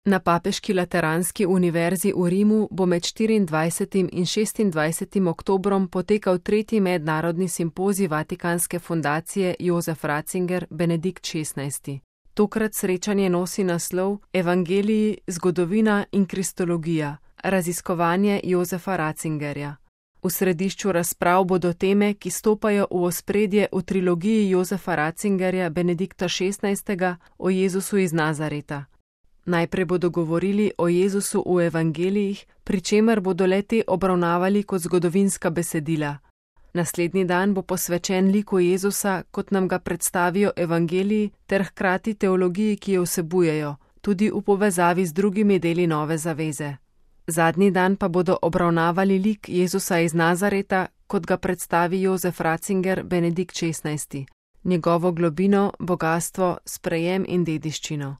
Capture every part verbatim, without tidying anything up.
Na Papeški lateranski univerzi v Rimu bo med štiriindvajsetim in šestindvajsetim oktobrom potekal tretji mednarodni simpozij Vatikanske fundacije Jozef Ratzinger Benedikt šestnajsti. Tokrat srečanje nosi naslov Evangeliji, zgodovina in kristologija, raziskovanje Jozefa Ratzingerja. V središču razprav bodo teme, ki stopajo v ospredje v trilogiji Jozefa Ratzingerja Benedikta šestnajstega o Jezusu iz Nazareta. Najprej bodo govorili o Jezusu v evangelijih, pri čemer bodo le-te obravnavali kot zgodovinska besedila. Naslednji dan bo posvečen liku Jezusa, kot nam ga predstavijo evangeliji, ter hkrati teologiji, ki jo vsebujejo, tudi v povezavi z drugimi deli Nove zaveze. Zadnji dan pa bodo obravnavali lik Jezusa iz Nazareta, kot ga predstavi Jozef Ratzinger Benedikt šestnajsti, njegovo globino, bogastvo, sprejem in dediščino.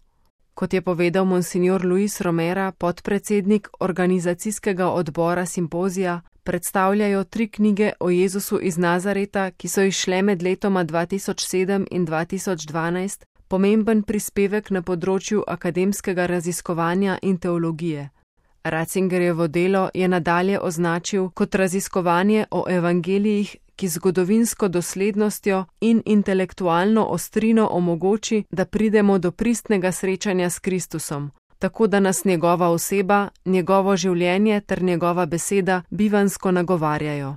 Kot je povedal monsignor Luis Romera, podpredsednik organizacijskega odbora simpozija, predstavljajo tri knjige o Jezusu iz Nazareta, ki so izšle med letoma dva tisoč sedem in dva tisoč dvanajst, pomemben prispevek na področju akademskega raziskovanja in teologije. Ratzingerjevo delo je nadalje označil kot raziskovanje o evangelijih, ki zgodovinsko doslednostjo in intelektualno ostrino omogoči, da pridemo do pristnega srečanja s Kristusom, tako da nas njegova oseba, njegovo življenje ter njegova beseda bivansko nagovarjajo.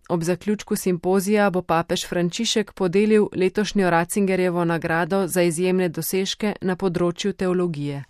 Ob zaključku simpozija bo papež Frančišek podelil letošnjo Ratzingerjevo nagrado za izjemne dosežke na področju teologije.